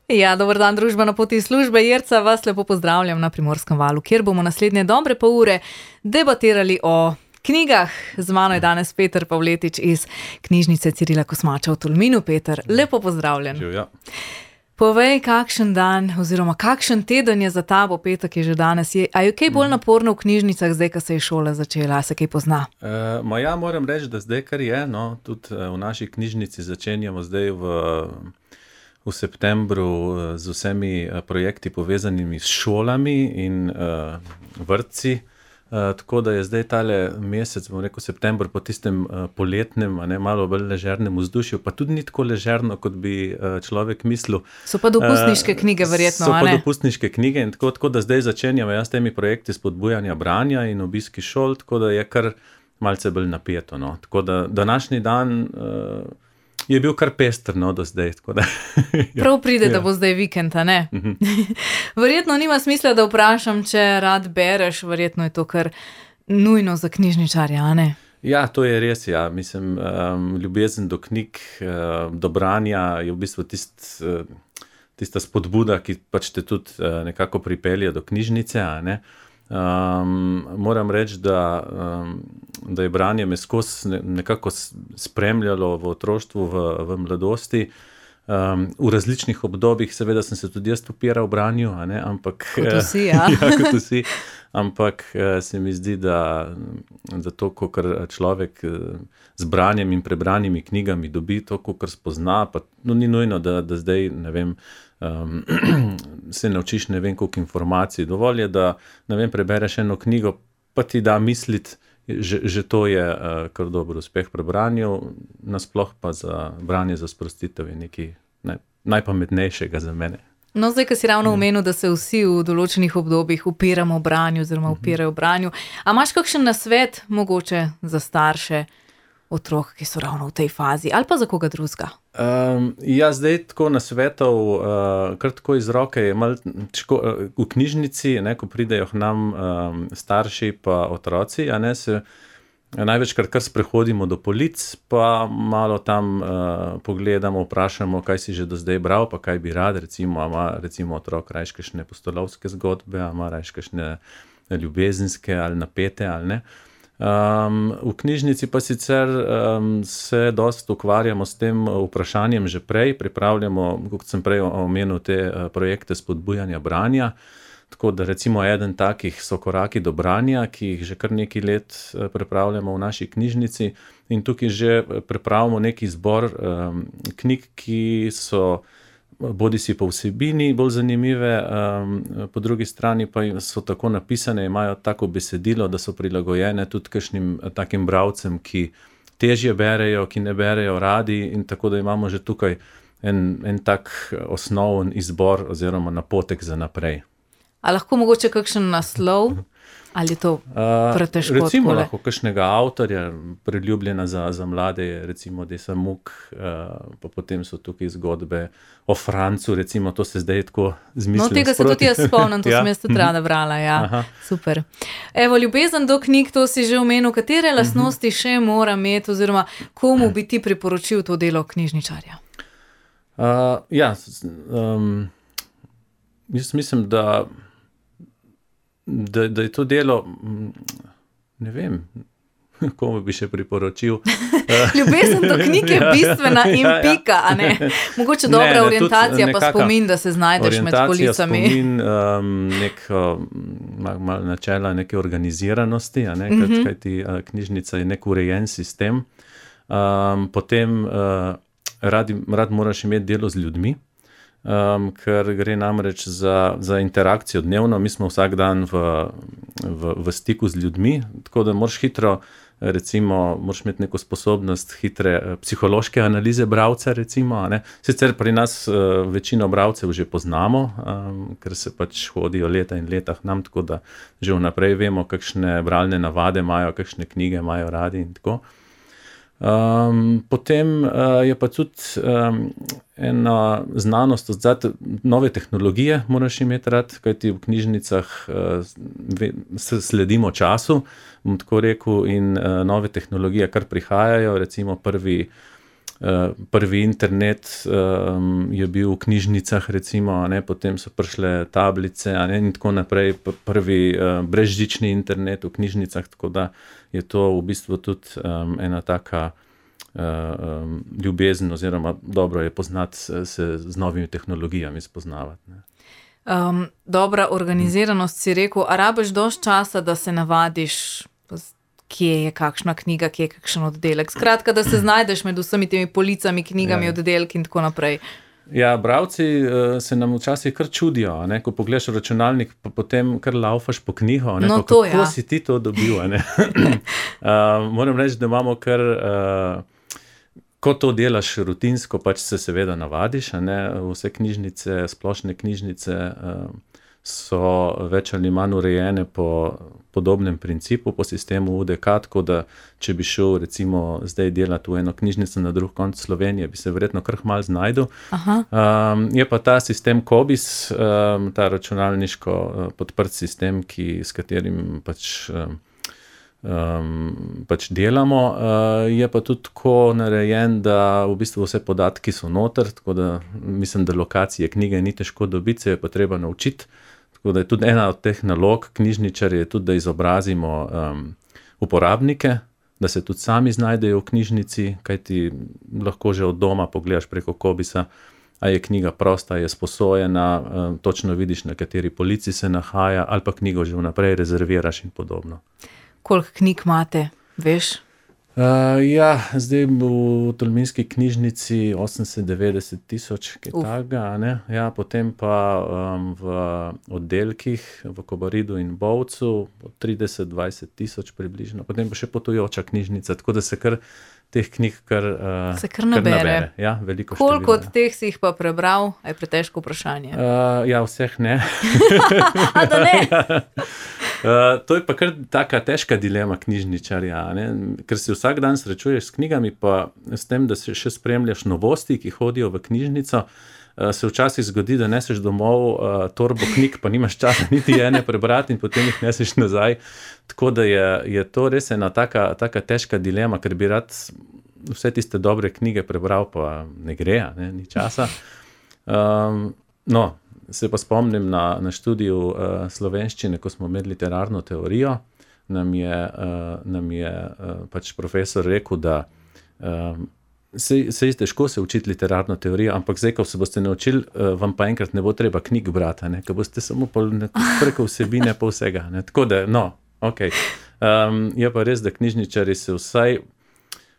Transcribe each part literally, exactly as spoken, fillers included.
Ja, dober dan, družba na poti službe. Jerca, vas lepo pozdravljam na Primorskem valu, kjer bomo naslednje dobre pol ure debatirali o knjigah. Z mano je danes Peter Pavletič iz knjižnice Cirila Kosmača v Tolminu. Peter, lepo pozdravljen. Živjo. Povej, kakšen dan oziroma kakšen teden je za tabo, petek je že danes. Je, a je kaj bolj naporno v knjižnicah zdaj, ko se je šola začela? A se kaj pozna? E, ma ja, moram reči, da zdaj kar je, no, tudi v naši knjižnici začenjamo zdaj v, v septembru z vsemi projekti povezanimi s šolami in uh, vrtci. Uh, tako da je zdaj tale mesec, bom rekel september, po tistem uh, poletnem, a ne, malo bolj ležernem vzdušju, pa tudi ni tako ležerno, kot bi uh, človek mislil. So pa dopustniške uh, knjige verjetno, so a ne? So ne? pa dopustniške knjige in tako, tako da zdaj začenjamo jaz s temi projekti spodbujanja branja in obiski šol, tako da je kar malce bolj napeto, no. Tako da današnji dan uh, je bil kar pester, no, do zdaj. Tako da, ja. Prav pride, da Ja. bo zdaj vikend, a ne? Mhm. Verjetno nima smisla, da vprašam, če rad bereš, verjetno je to kar nujno za knjižničarja, a ne? Ja, to je res, ja. Mislim, um, ljubezen do knjig, uh, do branja je v bistvu tist, uh, tista spodbuda, ki pač te tudi uh, nekako pripelje do knjižnice, a ne. Um, moram reči, da, um, da je branje me skozi ne, nekako spremljalo v otroštvu, v, v mladosti. Um, v različnih obdobjih, seveda sem se tudi jaz upiral branju, a ne, ampak... Kot vsi, ja. ja, kot vsi. Ampak se mi zdi, da, da to, kakor človek z branjem in prebranimi knjigami dobi, to, kakor spozna, pa no, ni nujno, da, da zdaj, ne vem, um, se naučiš ne vem koliko informacij. Dovolj je, da, ne vem, prebereš eno knjigo, pa ti da misliti, že, že to je uh, kar dober uspeh pri branju, nasploh pa za branje za sprostitev je nekaj ne, najpametnejšega za mene. No, zdaj, ko si ravno omenil, da se vsi v določenih obdobjih upiramo branju oziroma upirajo branju. A imaš kakšen nasvet mogoče za starše otrok, ki so ravno v tej fazi, ali pa za koga drugega? Um, ja, zdaj tako nasvetov, uh, kar tako iz roke je malo težko, uh, v knjižnici, ne, ko pridejo k nam um, starši pa otroci, a ne, se največkrat kar sprehodimo do polic, pa malo tam uh, pogledamo, vprašamo, kaj si že do zdaj bral, pa kaj bi rad, recimo, a ima recimo otrok rajš kakšne pustolovske zgodbe, a ima rajš kakšne ljubezenske ali napete ali ne. Um, v knjižnici pa sicer um, se dosti ukvarjamo s tem vprašanjem že prej, pripravljamo, kot sem prej omenil, te uh, projekte spodbujanja branja. Tako da recimo eden takih so koraki do branja, ki jih že kar nekaj let pripravljamo v naši knjižnici in tukaj že pripravimo neki zbor um, knjig, ki so bodi si po vsebini bolj zanimive, um, po drugi strani pa so tako napisane, imajo tako besedilo, da so prilagojene tudi kakšnim takim bralcem, ki težje berejo, ki ne berejo radi in tako da imamo že tukaj en, en tak osnoven izbor oziroma napotek za naprej. A lahko mogoče kakšen naslov? Ali je to pretežko? Uh, recimo takole? lahko kakšnega avtorja, priljubljena za, za mlade je recimo Desa Muk, uh, pa potem so tukaj zgodbe o Francu, recimo to se zdaj tako zmišljam. No, tega se sproti. tudi jaz spomnim, to Ja. sem jaz tudi rada brala, ja. Aha. Super. Evo, ljubezen do knjig, to si že omenil, katere lastnosti še mora imeti oziroma komu bi ti priporočil to delo knjižničarja? Uh, ja, um, jaz mislim, da Da, da je to delo, ne vem, komu bi še priporočil. Ljubezen do knjig je bistvena in Ja, ja. pika, a ne? Mogoče Ne, dobra ne, tudi orientacija pa nekaka spomin, da se znajdeš med Orientacija, policami. spomin, um, nek, mal, mal načela neke organiziranosti, a ne, mm -hmm. kajti uh, knjižnica je nek urejen sistem. Um, potem uh, rad, rad moraš imeti delo z ljudmi, Um, ker gre namreč za, za interakcijo dnevno, mi smo vsak dan v, v, v stiku z ljudmi, tako da moraš hitro, recimo, moraš imeti neko sposobnost hitre psihološke analize bralca, recimo, a ne. Sicer pri nas uh, večino bralcev že poznamo, um, ker se pač hodijo leta in leta k nam, tako da že vnaprej vemo, kakšne bralne navade imajo, kakšne knjige imajo radi in tako. Um, potem uh, je pa tudi um, ena znanost odzad, nove tehnologije moraš imeti rad, kajti v knjižnicah uh, sledimo času, bom tako rekel, in uh, nove tehnologije kar prihajajo, recimo prvi prvi internet um, je bil v knjižnicah, recimo, a ne, potem so prišle tablice, a ne, in tako naprej, prvi uh, brezžični internet v knjižnicah, tako da je to v bistvu tudi um, ena taka uh, um, ljubezen, oziroma dobro je poznati se z novimi tehnologijami spoznavati. Ne. Um, dobra organiziranost, si rekel, a rabiš dosti časa, da se navadiš, kje je kakšna knjiga, kje je kakšen oddelek. Skratka, da se znajdeš med vsemi temi policami, knjigami, ja. Oddelki in tako naprej. Ja, bralci uh, se nam včasih kar čudijo, ne? Ko pogledaš v računalnik, pa potem kar laufaš po knjigo, ne? No, pa, to, kako ja. si ti to dobil. Ne? uh, moram reči, da imamo kar... Uh, Ko to delaš rutinsko, pač se seveda navadiš, a ne, vse knjižnice, splošne knjižnice so več ali manj urejene po podobnem principu, po sistemu U D K, tako da če bi šel recimo zdaj delati v eno knjižnico na drug konec Slovenije, bi se verjetno kar malo znajdel. Um, je pa ta sistem COBISS, um, ta računalniško uh, podprt sistem, ki, s katerim pač... Um, Um, pač delamo, uh, je pa tudi tako narejen, da v bistvu vse podatki so noter, tako da mislim, da lokacije knjige ni težko dobiti, se je pa treba naučiti, tako da je tudi ena od teh nalog knjižničarjev je tudi, da izobrazimo um, uporabnike, da se tudi sami znajdejo v knjižnici, kajti lahko že od doma pogledaš preko COBISSa, a je knjiga prosta, je sposojena, um, točno vidiš, na kateri polici se nahaja, ali pa knjigo že vnaprej rezerviraš in podobno. Koliko knjig imate, veš? Uh, ja, zdaj v Tolminski knjižnici osemdeset devetdeset tisoč, kaj takega, ne? Ja, potem pa um, v oddelkih v Kobaridu in Bovcu trideset dvajset tisoč približno, potem pa še potujoča knjižnica, tako da se kar teh knjig kar, uh, se kar nabere. Kar nabere. Ja, veliko Koliko število, od teh si jih pa prebral? Je pretežko vprašanje. Uh, ja, vseh ne. A da ne? Uh, to je pa kar taka težka dilema knjižničarja, ne? Ker se vsak dan srečuješ s knjigami, pa s tem, da se še spremljaš novosti, ki hodijo v knjižnico, uh, se včasih zgodi, da neseš domov uh, torbo knjig, pa nimaš časa niti ene prebrati in potem jih neseš nazaj. Tako da je, je to res ena taka, taka težka dilema, ker bi rad vse tiste dobre knjige prebral, pa ne gre, ne? Ni časa. Um, no, se pa spomnim na, na študiju uh, slovenščine, ko smo imeli literarno teorijo, nam je, uh, nam je uh, pač profesor rekel, da uh, se, se je težko se učiti literarno teorijo, ampak zdaj, ko se boste naučili, uh, vam pa enkrat ne bo treba knjig brati, ne? Ker boste samo preko vsebine pa vsega. Ne? Tako da, no, ok. Um, je pa res, da knjižničari se vsaj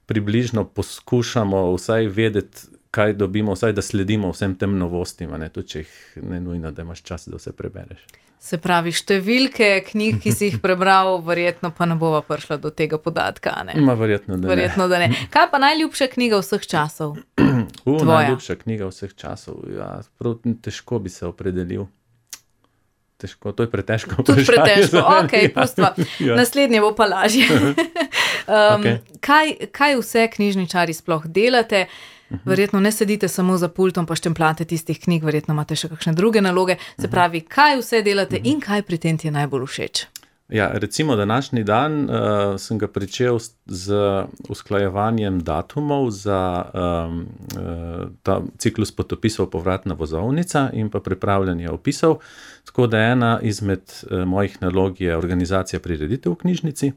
približno poskušamo vsaj vedeti, kaj dobimo, vsaj da sledimo vsem tem novostim, ne, tudi če jih ne nujno, da imaš čas, da vse prebereš. Se pravi, številke knjig, ki si jih prebral, verjetno pa ne bova prišla do tega podatka, ne? Ma, verjetno, da verjetno, da ne. Kaj pa najljubša knjiga vseh časov? U, najljubša knjiga vseh časov, ja, prav težko bi se opredelil. Težko, to je pretežko. Tudi pretežko, ok, pustva. Ja. Naslednje bo pa lažje. um, okay. kaj, kaj vse knjižničari sploh delate? Verjetno ne sedite samo za pultom pa štempljate tistih knjig, verjetno imate še kakšne druge naloge. Se pravi, kaj vse delate in kaj pri tem ti je najbolj všeč? Ja, recimo današnji dan uh, sem ga pričel z usklajevanjem datumov za um, uh, ta ciklus potopisov Povratna vozovnica in pa pripravljanje opisov. Tako da ena izmed uh, mojih nalog je organizacija prireditev v knjižnici.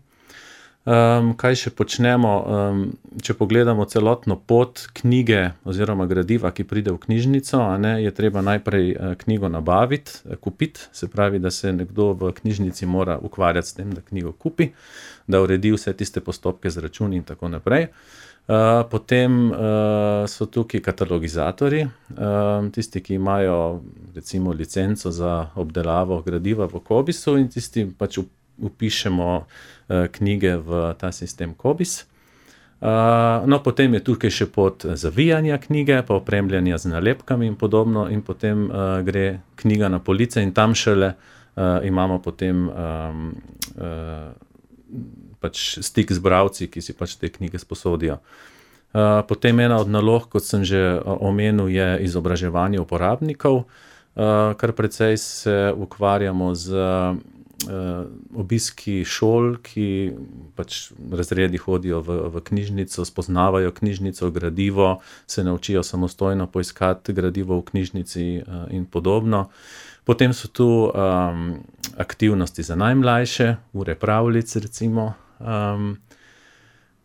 Um, kaj še počnemo, um, če pogledamo celotno pot knjige oziroma gradiva, ki pride v knjižnico, a ne, je treba najprej uh, knjigo nabaviti, uh, kupiti, se pravi, da se nekdo v knjižnici mora ukvarjati s tem, da knjigo kupi, da uredi vse tiste postopke z računi in tako naprej. Uh, potem uh, so tukaj katalogizatorji, uh, tisti, ki imajo recimo licenco za obdelavo gradiva v COBISSu in tisti pač upišemo uh, knjige v ta sistem COBISS. Uh, no, potem je tukaj še pot zavijanja knjige, pa opremljanja z nalepkami in podobno in potem uh, gre knjiga na police in tam šele uh, imamo potem um, uh, pač stik z bralci, ki si pač te knjige sposodijo. Uh, potem ena od nalog, kot sem že omenil, je izobraževanje uporabnikov, uh, kar precej se ukvarjamo z obiski šol, ki pač razredi hodijo v, v knjižnico, spoznavajo knjižnico, gradivo, se naučijo samostojno poiskati gradivo v knjižnici in podobno. Potem so tu um, aktivnosti za najmlajše, ure pravljic recimo, um,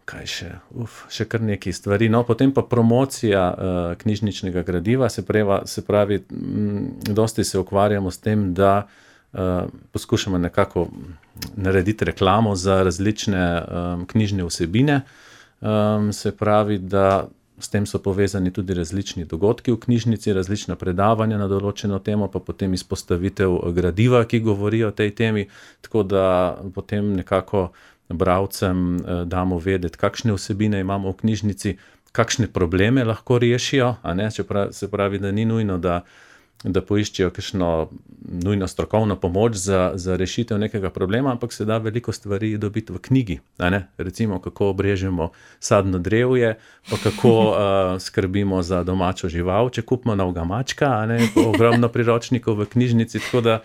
kaj še, uf, še kar nekaj stvari. No, potem pa promocija uh, knjižničnega gradiva, se, preva, se pravi, m, dosti se ukvarjamo s tem, da uh, poskušamo nekako narediti reklamo za različne um, knjižne vsebine, um, se pravi, da s tem so povezani tudi različni dogodki v knjižnici, različna predavanja na določeno temo, pa potem izpostavitev gradiva, ki govori o tej temi, tako da potem nekako bralcem damo vedeti, kakšne vsebine imamo v knjižnici, kakšne probleme lahko rešijo, a ne, čeprav se pravi, da ni nujno, da, da poiščejo kakšno nujno strokovno pomoč za, za rešitev nekega problema, ampak se da veliko stvari dobiti v knjigi, a ne, recimo kako obrežemo sadno drevje, pa kako uh, skrbimo za domačo žival, če kupimo novega mačka, a ne, ogromno priročnikov v knjižnici, tako da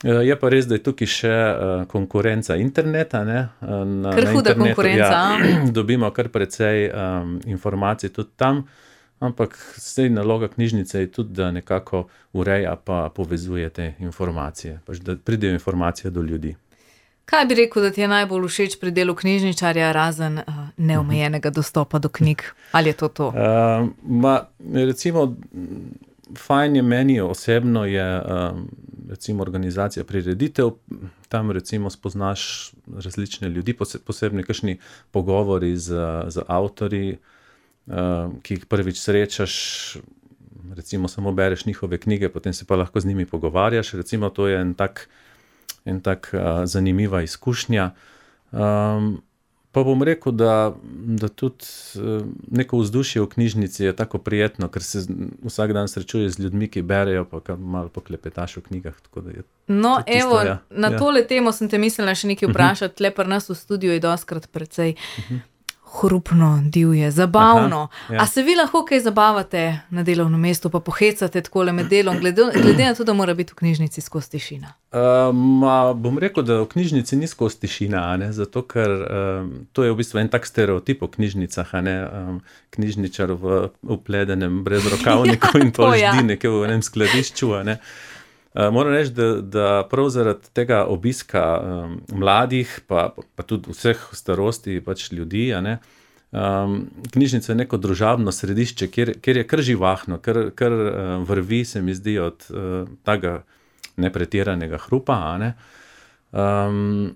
je pa res, da je tukaj še uh, konkurenca interneta. Ne? Na, kar huda konkurenca. Ja, dobimo kar precej um, informacij tudi tam, ampak sej naloga knjižnice je tudi, da nekako ureja pa povezuje te informacije, pač da pridejo informacije do ljudi. Kaj bi rekel, da ti je najbolj všeč pri delu knjižničarja, razen uh, neomejenega dostopa do knjig? Ali je to to? Uh, ma, recimo, fajn je meni osebno je um, recimo organizacija prireditev, tam recimo spoznaš različne ljudi, posebno kakšni pogovori z, z avtorji, uh, ki jih prvič srečaš, recimo samo bereš njihove knjige, potem se pa lahko z njimi pogovarjaš, recimo to je en tak, en tak uh, zanimiva izkušnja. Um, Pa bom rekel, da, da tudi neko vzdušje v knjižnici je tako prijetno, ker se vsak dan srečuješ z ljudmi, ki berejo, pa malo poklepetaš v knjigah. Tako da je no, evo, ja. na ja. tole temo sem te mislila še nekaj vprašati, uh-huh. le pri nas v studiu je doskrat precej uh-huh. hrupno, divje, zabavno. Aha, ja. A se vi lahko kaj zabavate na delovnem mestu, pa pohecate takole med delom, glede, glede na to, da mora biti v knjižnici skozi tišina? Uh, ma, bom rekel, da v knjižnici ni skozi tišina, a ne? Zato ker um, to je v bistvu en tak stereotip o knjižnicah, a ne? Um, knjižničar v upledenem brezrokavniku in to ja. ždi nekje v enem skladišču, a ne? Uh, moram reči, da, da prav zaradi tega obiska um, mladih, pa, pa tudi vseh starosti pač ljudi, a ne, um, knjižnica je neko družabno središče, kjer, kjer je kar živahno, kar, kar uh, vrvi se mi zdi od uh, tega nepretiranega hrupa, a ne. Um,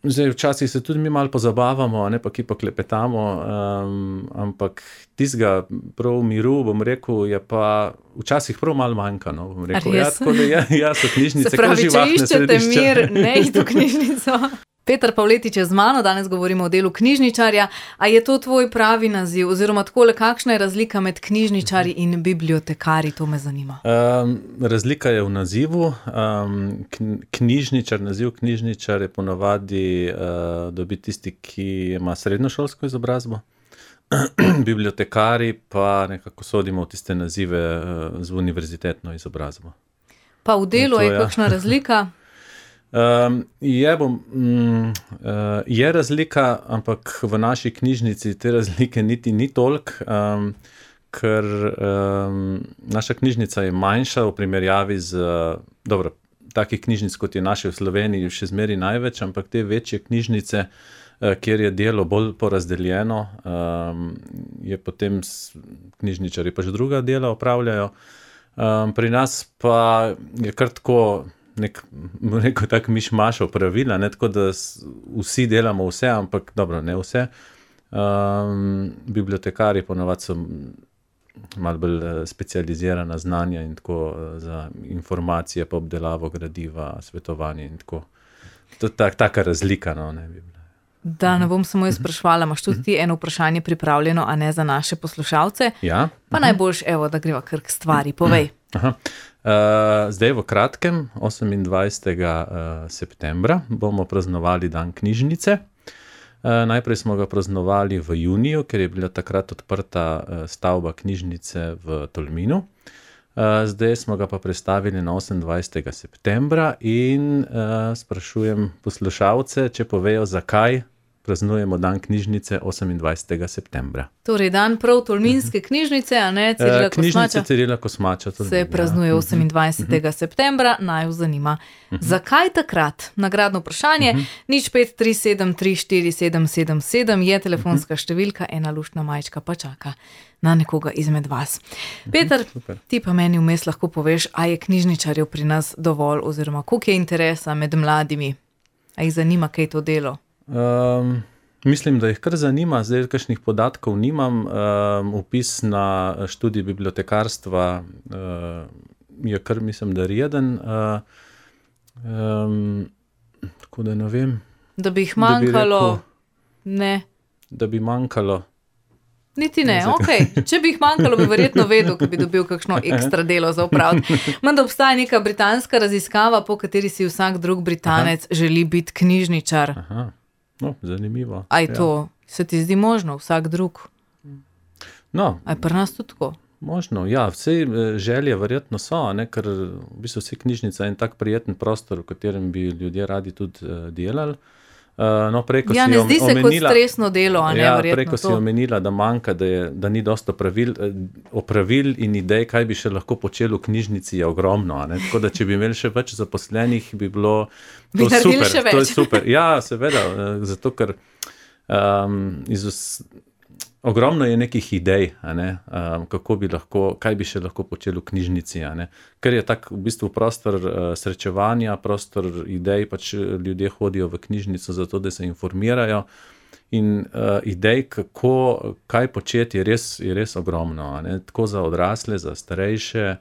zdaj, včasih se tudi mi malo pozabavamo, a ne, pa ki pa klepetamo, um, ampak tistega prav miru, bom rekel, je pa včasih prav malo manjka, no, bom rekel. Ja, tako da ja, ja, so knjižnice kar živahne središča. Se pravi, če iščete mir, ne id v knjižnico. Peter Pavletič je z mano, danes govorimo o delu knjižničarja. A je to tvoj pravi naziv? Oziroma takole, kakšna je razlika med knjižničarji in bibliotekarji? To me zanima. Um, razlika je v nazivu. Um, knjižničar, naziv knjižničar je ponavadi uh, dobi tisti, ki ima srednjošolsko izobrazbo. Bibliotekari pa nekako sodimo v tiste nazive uh, z univerzitetno izobrazbo. Pa v delu to, je ja. kakšna razlika? Um, je, bom, um, uh, je razlika, ampak v naši knjižnici te razlike niti ni toliko, um, ker um, naša knjižnica je manjša v primerjavi z, dobro, takih knjižnic, kot je naše v Sloveniji, še zmeri največ, ampak te večje knjižnice, uh, kjer je delo bolj porazdeljeno, um, je potem knjižničari pač druga dela opravljajo. Um, pri nas pa je kar tako nek, neko tak mišmašo pravila, ne, tako da vsi delamo vse, ampak dobro, ne vse. Um, bibliotekari ponavadi so malo bolj specializirana znanja in tako za informacije, pa obdelavo gradiva, svetovanje in tako. To je tak, taka razlika, no, ne bi bila. Da, ne bom samo jaz sprašvala, imaš tudi ti eno vprašanje pripravljeno, a ne za naše poslušalce? Ja. Pa najboljš, evo, da greva kar k stvari, povej. Aha. Uh, zdaj v kratkem, osemindvajsetega septembra, bomo praznovali dan knjižnice. Uh, najprej smo ga praznovali v juniju, ker je bila takrat odprta uh, stavba knjižnice v Tolminu. Uh, zdaj smo ga pa prestavili na osemindvajsetega septembra in uh, sprašujem poslušalce, če povejo, zakaj praznujemo dan knjižnice osemindvajsetega septembra. Torej, dan prav Tolminske knjižnice, a ne Cirila Kosmača. Knjižnice Cirila Kosmača. Se praznuje osemindvajsetega septembra, naj jo zanima. Zakaj takrat? Nagradno vprašanje, nič pet tri sedem tri štiri sedem sedem sedem je telefonska številka, ena luštna majčka pa čaka na nekoga izmed vas. Peter, ti pa meni vmes lahko poveš, a je knjižničarjev pri nas dovolj, oziroma koliko je interesa med mladimi? A jih zanima, kaj to delo? Um, mislim, da jih kar zanima, zdaj kakšnih podatkov nimam. Um, upis na študij bibliotekarstva uh, je kar, mislim, da reden. Uh, um, tako da ne vem. Da bi jih manjkalo? Da bi, rekel, ne. Da bi manjkalo? Niti ne, ok. Če bi jih manjkalo, bi verjetno vedel, ko bi dobil kakšno ekstra delo za opraviti. Menda obstaja neka britanska raziskava, po kateri si vsak drug Britanec Aha. želi biti knjižničar. Aha. No, zanimivo. Aj to, ja. Se ti zdi možno, vsak drug? No. Aj pri nas tudi tako? Možno, ja, vse želje verjetno so, ne, ker v bistvu vse knjižnica je en tak prijeten prostor, v katerem bi ljudje radi tudi uh, delali. Uh, no, preko ja, si ne zdi se omenila, kot stresno delo, a ne, ja, verjetno preko to. Si omenila, da manjka, da, je, da ni dosto pravil, opravil in idej, kaj bi še lahko počeli v knjižnici, je ogromno. A ne? Tako da, če bi imeli še več zaposlenih, bi bilo to bi super. Še več. To je super. Ja, seveda, zato ker um, iz vs... ogromno je nekih idej, a ne? Um, kako bi lahko, kaj bi še lahko počeli v knjižnici. A ne? Ker je tak v bistvu prostor uh, srečevanja, prostor idej, pač ljudje hodijo v knjižnico zato, da se informirajo. In uh, idej, kako, kaj početi, je res, je res ogromno. A ne? Tako za odrasle, za starejše,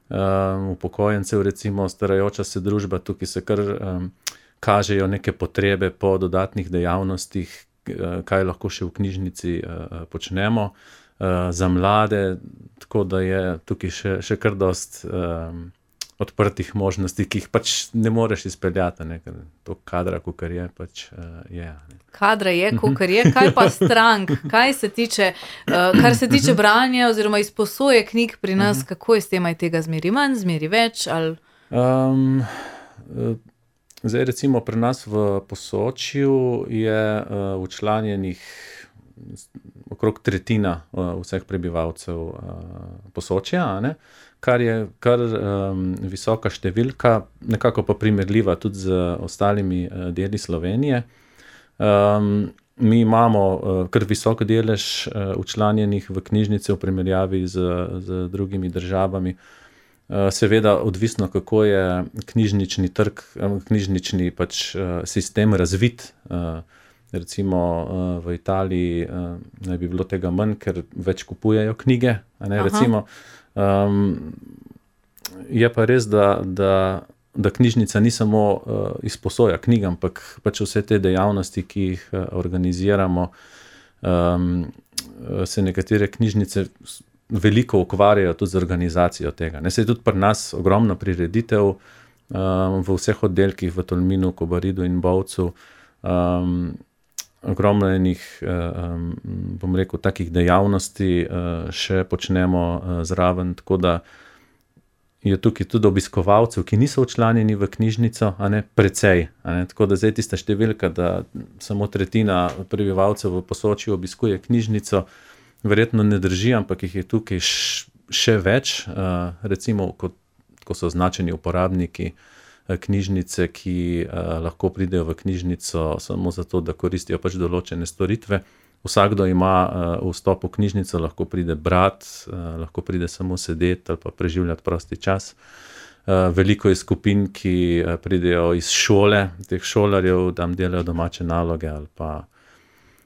um, upokojencev, recimo starajoča se družba, tukaj se kar um, kažejo neke potrebe po dodatnih dejavnostih, kaj lahko še v knjižnici uh, počnemo. Uh, za mlade, tako da je tukaj še, še kar dost um, odprtih možnosti, ki jih pač ne moreš izpeljati, ne? Ker to kadra, kakor je, pač uh, je. Ne? Kadra je, kakor je. Kaj pa strank? Kaj se tiče, uh, kar se tiče branja oziroma izposoje knjig pri nas, kako je s tem, aj tega zmeri manj, zmeri več? Ali... Um, uh, Zdaj, recimo, pri nas v Posočju je uh, včlanjenih okrog tretjina uh, vseh prebivalcev uh, Posočja, a ne? Kar je kar um, visoka številka, nekako pa primerljiva tudi z ostalimi uh, deli Slovenije. Um, mi imamo uh, kar visok delež uh, včlanjenih v knjižnice v primerjavi z, z drugimi državami. Seveda odvisno, kako je knjižnični trg, knjižnični pač sistem razvit. Recimo v Italiji naj bi bilo tega manj, ker več kupujejo knjige. A ne? Recimo, um, je pa res, da, da, da knjižnica ni samo izposoja knjig, ampak pač vse te dejavnosti, ki jih organiziramo, um, se nekatere knjižnice veliko ukvarjajo tudi z organizacijo tega. Ne, se je tudi pri nas ogromno prireditev um, v vseh oddelkih v Tolminu, Kobaridu in Bovcu. Um, ogromno enih, um, bom rekel, takih dejavnosti uh, še počnemo uh, zraven, tako da je tukaj tudi obiskovalcev, ki niso včlanjeni v knjižnico, a ne, precej. A ne, tako da zdaj tista številka, da samo tretjina prebivalcev v Posočju obiskuje knjižnico, verjetno ne drži, ampak jih je tukaj še več, uh, recimo, kot, ko so označeni uporabniki uh, knjižnice, ki uh, lahko pridejo v knjižnico samo zato, da koristijo pač določene storitve. Vsakdo ima uh, vstop v knjižnico, lahko pride brat, uh, lahko pride samo sedeti ali pa preživljati prosti čas. Uh, veliko je skupin, ki uh, pridejo iz šole, teh šolarjev, tam delajo domače naloge ali pa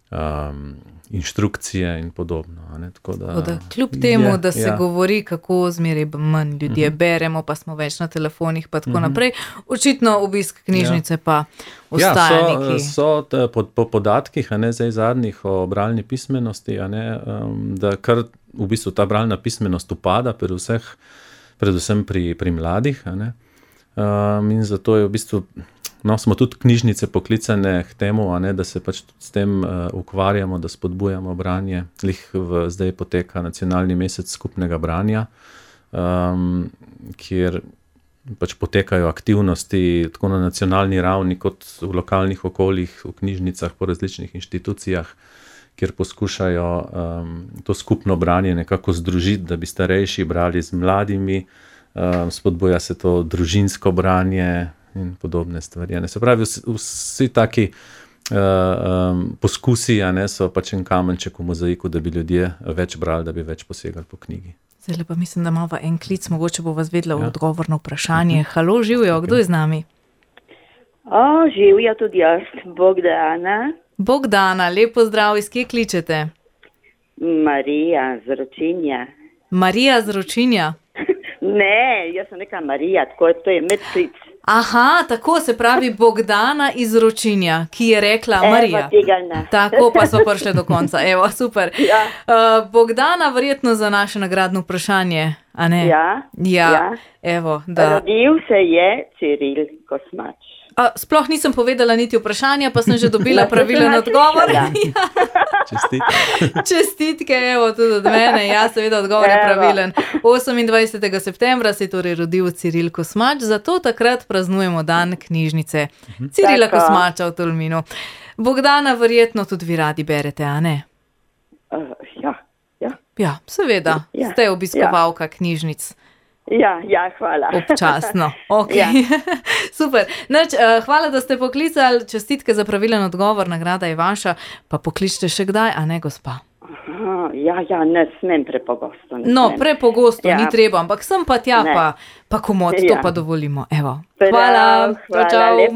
Um, inštrukcije in podobno. A ne? Tako da, Tako da, kljub temu, je, da se ja. govori, kako zmeraj manj ljudje uh-huh. beremo, pa smo več na telefonih, pa tako uh-huh. naprej, očitno obisk knjižnice ja. pa ostaja ja, neki. So, so po, po podatkih, a ne, zdaj zadnjih o bralni pismenosti, a ne, um, da kar v bistvu ta bralna pismenost upada pri vseh, predvsem pri, pri mladih. A ne. Um, in zato je v bistvu No, smo tudi knjižnice poklicane k temu, a ne, da se pač s tem uh, ukvarjamo, da spodbujamo branje. Lih v, zdaj poteka nacionalni mesec skupnega branja um, kjer pač potekajo aktivnosti tako na nacionalni ravni kot v lokalnih okoljih, v knjižnicah, po različnih inštitucijah, kjer poskušajo um, to skupno branje nekako združiti, da bi starejši brali z mladimi, um, spodbuja se to družinsko branje in podobne stvari. Ne? Se pravi, vsi, vsi taki uh, um, poskusi, a ne, so pač en kamenček v mozaiku, da bi ljudje več brali, da bi več posegali po knjigi. Zdaj pa mislim, da imamo en klic, mogoče bo vas vedela v ja. odgovor na vprašanje. Halo, živijo, kdo je z nami? O, živijo tudi jaz, Bogdana. Bogdana, lepo zdrav, iz kje kličete? Marija z Ročinja. Marija z Ročinja? Ne, jaz sem neka Marija, tako to je medklic. Aha, tako se pravi Bogdana iz Ročinja, ki je rekla Evo, Marija. tega ne. Tako pa smo prišli do konca, evo, super. Ja. Uh, Bogdana, verjetno za naše nagradno vprašanje, a ne? Ja, Ja, ja. evo, da. Rodil se je Ciril Kosmač. A, sploh nisem povedala niti vprašanja, pa sem že dobila pravilen odgovor. Ja. Čestitke. Čestitke, evo, tudi od mene. Ja, seveda, odgovor je Evo. pravilen. osemindvajsetega septembra se je torej rodil Ciril Kosmač, zato takrat praznujemo dan knjižnice Cirila Tako. Kosmača v Tolminu. Bogdana, verjetno tudi vi radi berete, a ne? Uh, ja, ja. Ja, seveda. Ja. Ste obiskovalka knjižnic. Ja, ja, hvala. Občasno. Okay. Ja. Super. Nač, uh, hvala, da ste poklicali. Čestitke za pravilen odgovor, nagrada je vaša. Pa pokličite še kdaj, a ne, gospa? Aha, ja, ja, ne smem prepogosto. Ne No, smem. prepogosto, Ja. ni treba, ampak sem pa tja, Ne. pa, pa komod, to Ja. pa dovolimo. Evo. Prav, Hvala. hvala, Čau, čau. lep.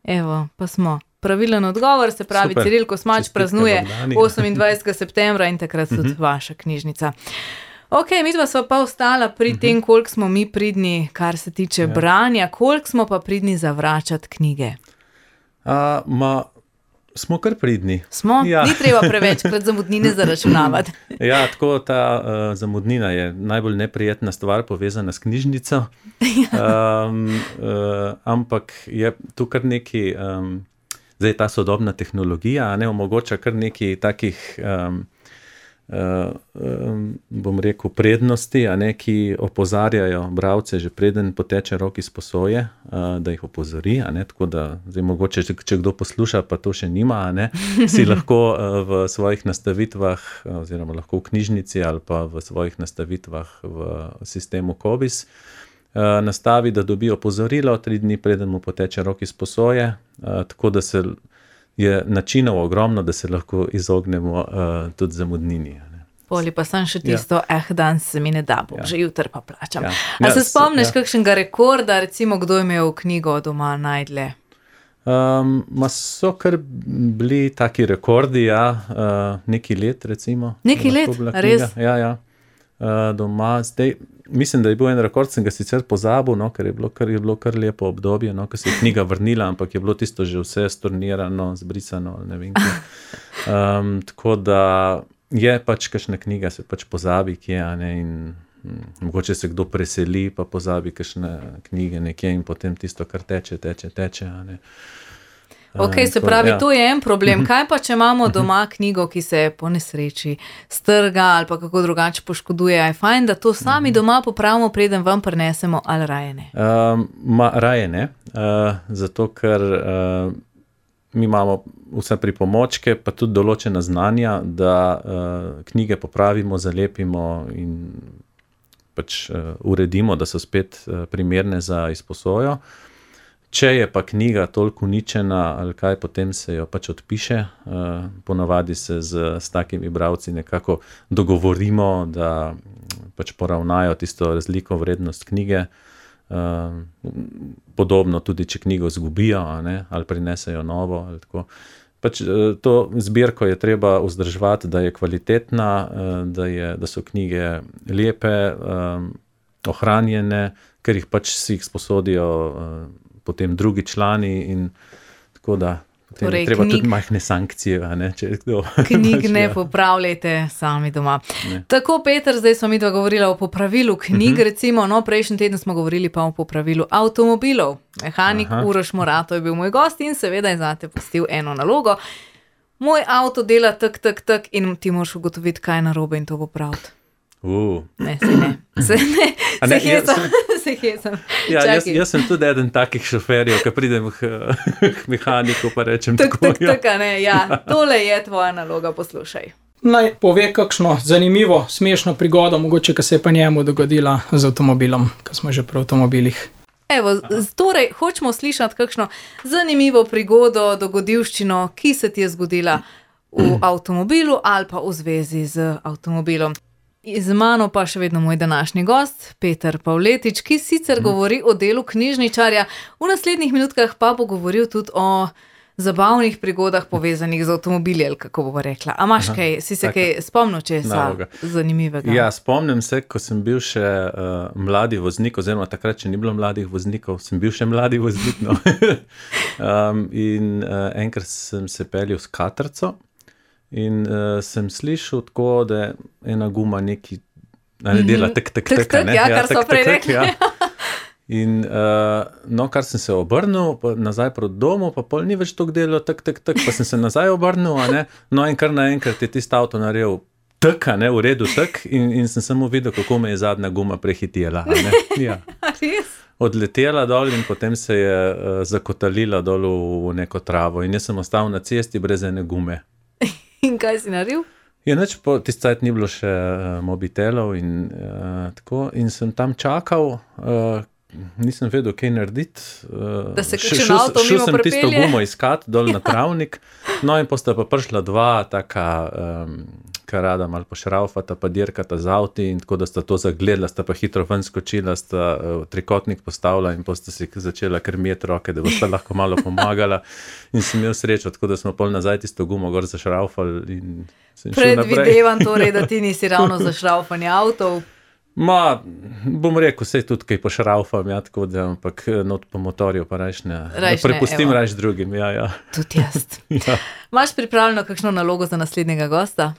Evo, pa smo. Pravilen odgovor, se pravi, Super. Ciril Kosmač Čestitke praznuje Bogdani. osemindvajsetega septembra in takrat tudi vaša knjižnica. Ok, mi dva sva pa ostala pri tem, koliko smo mi pridni, kar se tiče Ja. branja, koliko smo pa pridni zavračati knjige. A, ma, smo kar pridni. Smo? Ja. Ni treba prevečkrat zamudnine zaračunavati. Ja, tako ta uh, zamudnina je najbolj neprijetna stvar povezana s knjižnico, um, uh, ampak je tu kar neki, um, zdaj ta sodobna tehnologija, a ne omogoča kar neki takih, um, uh, um, bom rekel, prednosti, a ne, ki opozarjajo bralce, že preden poteče rok izposoje, uh, da jih opozori, a ne, tako da zdaj mogoče, če, če kdo posluša, pa to še nima, a ne, si lahko uh, v svojih nastavitvah, uh, oziroma lahko v knjižnici ali pa v svojih nastavitvah v sistemu Kobis, uh, nastavi, da dobi opozorilo tri dni preden mu poteče rok izposoje, uh, tako da se je načinov ogromno, da se lahko izognemo uh, tudi zamudnini. a ne. Poli pa sem še tisto, ja. eh, danes se mi ne da, bom, Ja. že jutri pa plačam. Ja. A Ja, se s- spomniš ja. kakšnega rekorda, recimo, kdo je imel knjigo doma najdlje? Um, ma so kar bili taki rekordi, ja, uh, neki let recimo. Neki lahko let? bila Res? knjiga. Ja, ja. Uh, doma, zdaj, mislim, da je bil en rekord, sem ga sicer pozabil, no, ker je bilo kar, je bilo kar lepo obdobje, no, ko se je knjiga vrnila, ampak je bilo tisto že vse stornirano, zbrisano, ne vem kaj. Um, tako da je pač kakšna knjiga, se pač pozabi, kje, a ne, in hm, mogoče se kdo preseli, pa pozabi kakšne knjige nekje in potem tisto, kar teče, teče, teče, a ne. Ok, Um, se tako, pravi, ja. to je en problem. Kaj pa, če imamo doma knjigo, ki se po nesreči strga ali pa kako drugače poškoduje? Je fajn, da to sami doma popravimo, preden vam prinesemo, ali raje ne? Um, ma, raje ne, uh, zato ker uh, mi imamo vse pripomočke, pa tudi določena znanja, da uh, knjige popravimo, zalepimo in pač uh, uredimo, da so spet uh, primerne za izposojo. Če je pa knjiga toliko uničena ali kaj, potem se jo pač odpiše. Uh, ponavadi se z, s takimi bralci nekako dogovorimo, da mm, pač poravnajo tisto razliko vrednost knjige. Uh, podobno tudi, če knjigo zgubijo, a ne, ali prinesejo novo. Ali tako. Pač, uh, to zbirko je treba vzdrževati, da je kvalitetna, uh, da, je, da so knjige lepe, um, ohranjene, ker jih pač si jih sposodijo uh, potem drugi člani in tako da potem Torej, je treba knjig- tudi majhne sankcije, a ne, če kdo. Knjig pač, ne ja. popravljajte sami doma. Ne. Tako, Peter, zdaj smo mi dva govorila o popravilu knjig, Mhm. recimo, no, prejšnji teden smo govorili pa o popravilu avtomobilov. Mehanik Aha. Uroš Morato je bil moj gost in seveda je zate pustil eno nalogo. Moj avto dela tak, tak, tak in ti moraš ugotoviti, kaj je narobe in to popraviti. Uh. Ne, se ne. Se ne, se ne, hecam, jaz se hecam. Ja, jaz, Čakaj. jaz sem tudi eden takih šoferjev, ki pridem k, k mehaniku, pa rečem Tak, tako. tak, tak, a ne, ja. Tole je tvoja naloga, poslušaj. Naj pove kakšno zanimivo, smešno prigodo, mogoče, ki se je pa njemu dogodila z avtomobilom, ko smo že pri avtomobilih. Evo, z- torej, hočemo slišati kakšno zanimivo prigodo, dogodivščino, ki se ti je zgodila v avtomobilu ali pa v zvezi z avtomobilom. Z mano pa še vedno moj današnji gost, Peter Pavletič, ki sicer govori o delu knjižničarja, v naslednjih minutkah pa bo govoril tudi o zabavnih prigodah povezanih z avtomobili, ali kako bo rekla. A imaš kaj, si se taka kaj spomnil česa naloga. zanimivega? Ja, spomnim se, ko sem bil še uh, mladi voznik, oziroma takrat, če ni bilo mladih voznikov, sem bil še mladi voznik. No. um, in uh, enkrat sem se peljal s katrco in uh, sem slišal tako, da je ena guma neki, a ne dela tek, tek, Tek, tek, a tek, ne? ja, kar tek, so prej tek, rekli. ja. In uh, no, kar sem se obrnil, pa nazaj proti domu, pa pol ni več tako delo, tak, tak, tak, pa sem se nazaj obrnil, a ne, no in kar naenkrat je tisti avto naredil tak, a ne, v redu tak, in, in sem samo videl, kako me je zadnja guma prehitela, a ne, ja. Res? Odletela dol in potem se je uh, zakotalila dol v, v neko travo in jaz sem ostal na cesti brez ene gume. In kaj si naredil? Je nič, po tisti cajt ni bilo še uh, mobitelov in uh, tako, in sem tam čakal, uh, nisem vedel, kaj narediti. Uh, Da se š- kakšen šel, avto šel mimo sem tisto pripelje. gumo iskat dol na travnik, no in posta pa prišla dva taka, um, kar rada malo pošraufata, pa dirkata z avti in tako, da sta to zagledala, sta pa hitro ven skočila, sta uh, trikotnik postavila in posta si začela krmjeti roke, da bosta lahko malo pomagala in sem imel srečo, tako da smo pol nazaj tisto gumo gor zašraufali in sem šel naprej. Predvidevam torej, da ti nisi ravno za šraufanje avtov. Ma, bom rekel, sej tudi kaj pošraufam, ja, tako da, ampak not po motorju pa rajš ne, Rajš ne, prepustim evo. rajš drugim, ja, ja. Tudi jaz. Ja. Imaš pripravljeno kakšno nalogo za naslednjega gosta?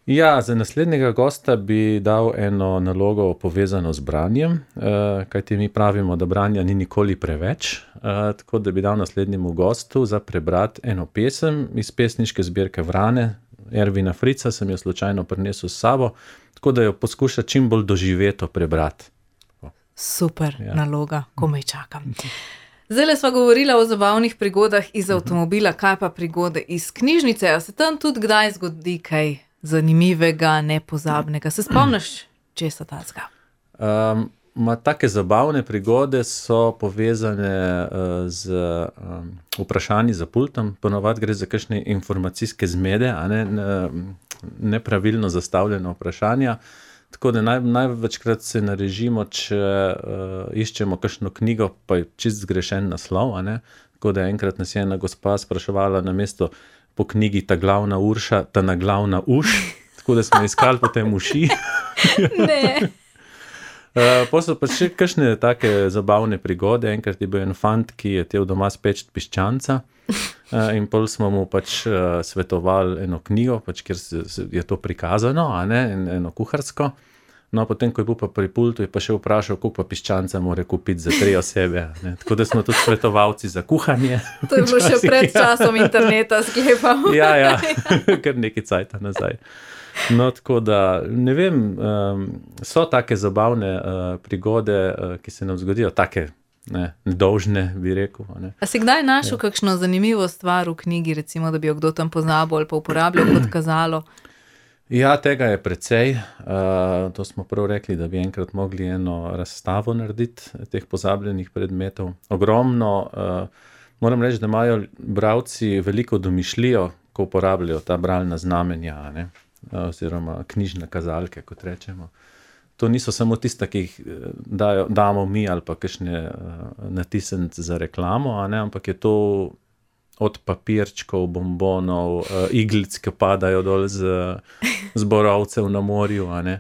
Ja, za naslednjega gosta bi dal eno nalogo povezano z branjem, uh, kajti mi pravimo, da branja ni nikoli preveč, uh, tako da bi dal naslednjemu gostu za prebrati eno pesem iz pesniške zbirke Vrane, Ervina Frica, sem jo slučajno prinesel s sabo, tako da jo poskuša čim bolj doživeto prebrati. Super Ja. naloga, komaj čakam. Zdaj sva govorila o zabavnih prigodah iz avtomobila, kaj pa prigode iz knjižnice. A se tam tudi kdaj zgodi kaj zanimivega, nepozabnega? Se spomniš česa tazga? Um, ma, take zabavne prigode so povezane uh, z um, vprašanji za pultom, ponovadi gre za kakšne informacijske zmede, a ne, ne nepravilno zastavljena vprašanja. Tako da naj, največkrat se narežimo, če uh, iščemo kakšno knjigo, pa je čist zgrešen naslov, a ne. Tako da enkrat nas je ena gospa spraševala na mesto po knjigi Ta glavna Urša, ta na glavna uš, tako da smo iskali potem uši. Ne. Uh, pa so pa še kakšne take zabavne prigode. Enkrat je bil en fant, ki je tel doma speč piščanca uh, in pol smo mu pač uh, svetovali eno knjigo, pač, kjer se, se je to prikazano, a ne, en, eno kuharsko. No, potem, ko je bil pa pri pultu, je pa še vprašal, koliko pa piščanca mora kupiti za tri osebe. Ne. Tako da smo tudi svetovalci za kuhanje. To je bilo še pred časom interneta, sklepam. Ja, ja, kar nekaj cajta nazaj. No, tako da, ne vem, um, so take zabavne uh, prigode, uh, ki se nam zgodijo, take ne, nedolžne, bi rekel. a Ne. A si kdaj našel kakšno zanimivo stvar v knjigi, recimo, da bi jo kdo tam pozabil ali pa uporabljal kot kazalo? Ja, tega je precej. Uh, to smo prav rekli, da bi enkrat mogli eno razstavo narediti teh pozabljenih predmetov. Ogromno, uh, moram reči, da imajo bralci veliko domišljijo, ko uporabljajo ta bralna znamenja, a ne, oziroma knjižne kazalke, kot rečemo. To niso samo tiste, ki jih dajo, damo mi ali pa kakšne uh, natisniti za reklamo, a ne, ampak je to od papirčkov, bombonov, uh, iglic, ki padajo dol z, z borovcev na morju, a ne.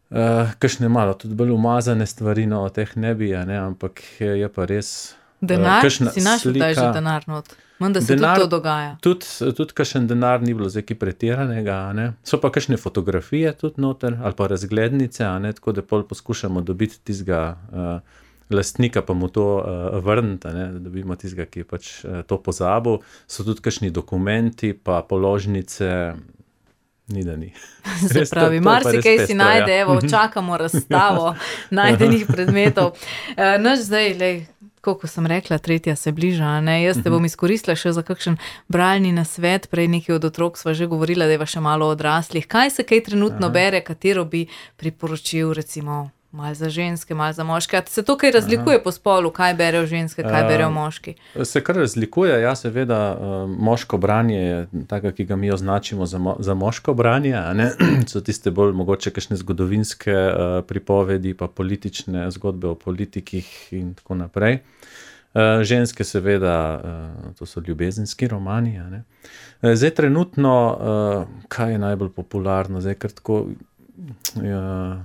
Uh, kakšne malo tudi bolj umazane stvari, no, o teh ne bi, a ne, ampak je, je pa res... Denar? kakšna Si našel kdaj že slika- denar not? Menda se Denar- tudi to dogaja. Tudi, tudi kakšen denar ni bilo zdaj kaj pretiranega, a ne. So pa kakšne fotografije tudi noter, ali pa razglednice, a ne, tako da pol poskušamo dobiti tistega uh, lastnika, pa mu to uh, vrniti, a ne, da dobimo tistega, ki je pač uh, to pozabil. So tudi kakšni dokumenti, pa položnice, ni da ni. Se Res, to- pravi, to je pa res marsikaj si pestro, najde, ja. evo, čakamo razstavo najdenih predmetov. Uh, naš zdaj, lej, koliko sem rekla, tretja se bliža, a ne? Jaz te bom izkoristila še za kakšen bralni nasvet, prej nekaj od otrok sva že govorila, da je še malo odraslih. Kaj se kaj trenutno Aha. bere, katero bi priporočil, recimo, malo za ženske, malo za moške? A se to kaj razlikuje Aha. po spolu, kaj berejo ženske, kaj uh, berejo moški? Se kar razlikuje, ja, seveda, uh, moško branje je tako, ki ga mi označimo za, mo za moško branje, a ne? So tiste bolj mogoče kakšne zgodovinske uh, pripovedi, pa politične zgodbe o politikih in tako naprej. Uh, ženske seveda, uh, to so ljubezenski romani, a ne? Uh, zdaj trenutno, uh, kaj je najbolj popularno, zdaj kar tako, ja,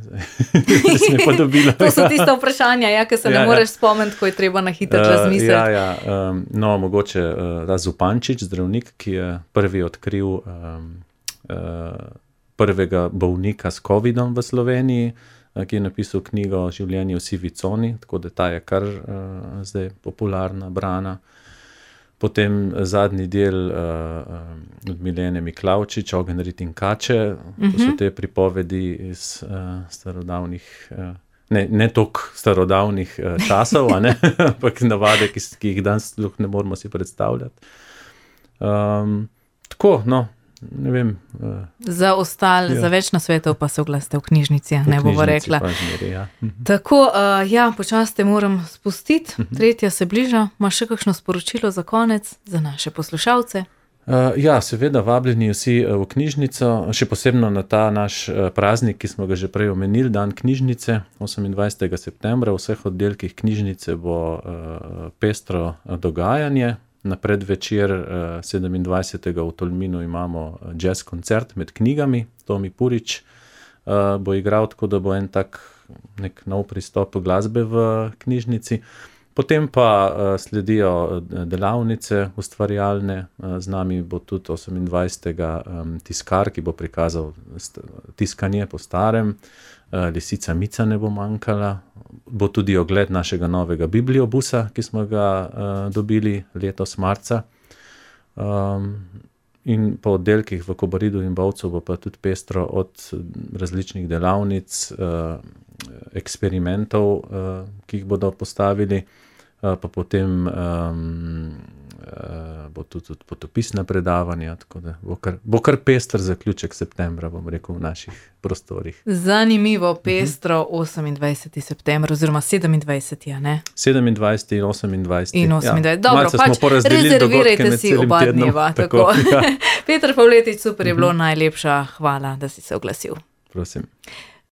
zdaj sem pa dobila. To so tiste vprašanja, ja, ki se ja, ne moreš ja. spomniti, ko je treba na hitro uh, razmisliti. Ja, ja, um, no, mogoče uh, ta Zupančič, zdravnik, ki je prvi odkril um, uh, prvega bolnika s covidom v Sloveniji, uh, ki je napisal knjigo Življenje v sivi coni, tako da ta je kar uh, zdaj popularna, brana. Potem zadnji del uh, od Milene Miklavčič, Ogenj, rit in kače, to so te pripovedi iz uh, starodavnih, uh, ne, ne toliko starodavnih uh, časov, a ne, ampak navade, ki, ki jih danes ne moramo si predstavljati. Um, tako, no, ne vem. Uh, za ostale, ja. za več nasvetov pa se oglasite v knjižnici, v ne bomo rekla. Zmeri, ja. Tako, uh, ja, počasi te moram spustiti, tretja se bliža. Imaš še kakšno sporočilo za konec, za naše poslušalce? Uh, ja, seveda, vabljeni vsi uh, v knjižnico, še posebno na ta naš uh, praznik, ki smo ga že prej omenili, dan knjižnice, osemindvajsetega septembra. V vseh oddelkih knjižnice bo uh, pestro dogajanje. Na predvečer uh, sedemindvajsetega v Tolminu imamo jazz koncert med knjigami. Tomi Purič uh, bo igral, tako da bo en tak nek nov pristop glasbe v knjižnici. Potem pa uh, sledijo delavnice ustvarjalne. Uh, z nami bo tudi osemindvajsetega um, tiskar, ki bo prikazal tiskanje po starem. Uh, Lisica Mica ne bo manjkala. Bo tudi ogled našega novega bibliobusa, ki smo ga uh, dobili letos marca. Um, in po oddelkih v Kobaridu in Bovcu bo pa tudi pestro od različnih delavnic, uh, eksperimentov, uh, ki jih bodo postavili, uh, pa potem um, uh, bo tudi, tudi potopisna predavanja, tako da bo kar, bo kar pester zaključek septembra, bom rekel, v naših prostorih. Zanimivo, pestro, osemindvajseti september oziroma sedemindvajseti, ja, ne? sedemindvajseti in osemindvajseti. In osemindvajseti. Ja, dobro, pač rezervirajte si oba dneva. Tako. Tako. Ja. Peter Pavletič, super je bilo, najlepša hvala, da si se oglasil. Prosim.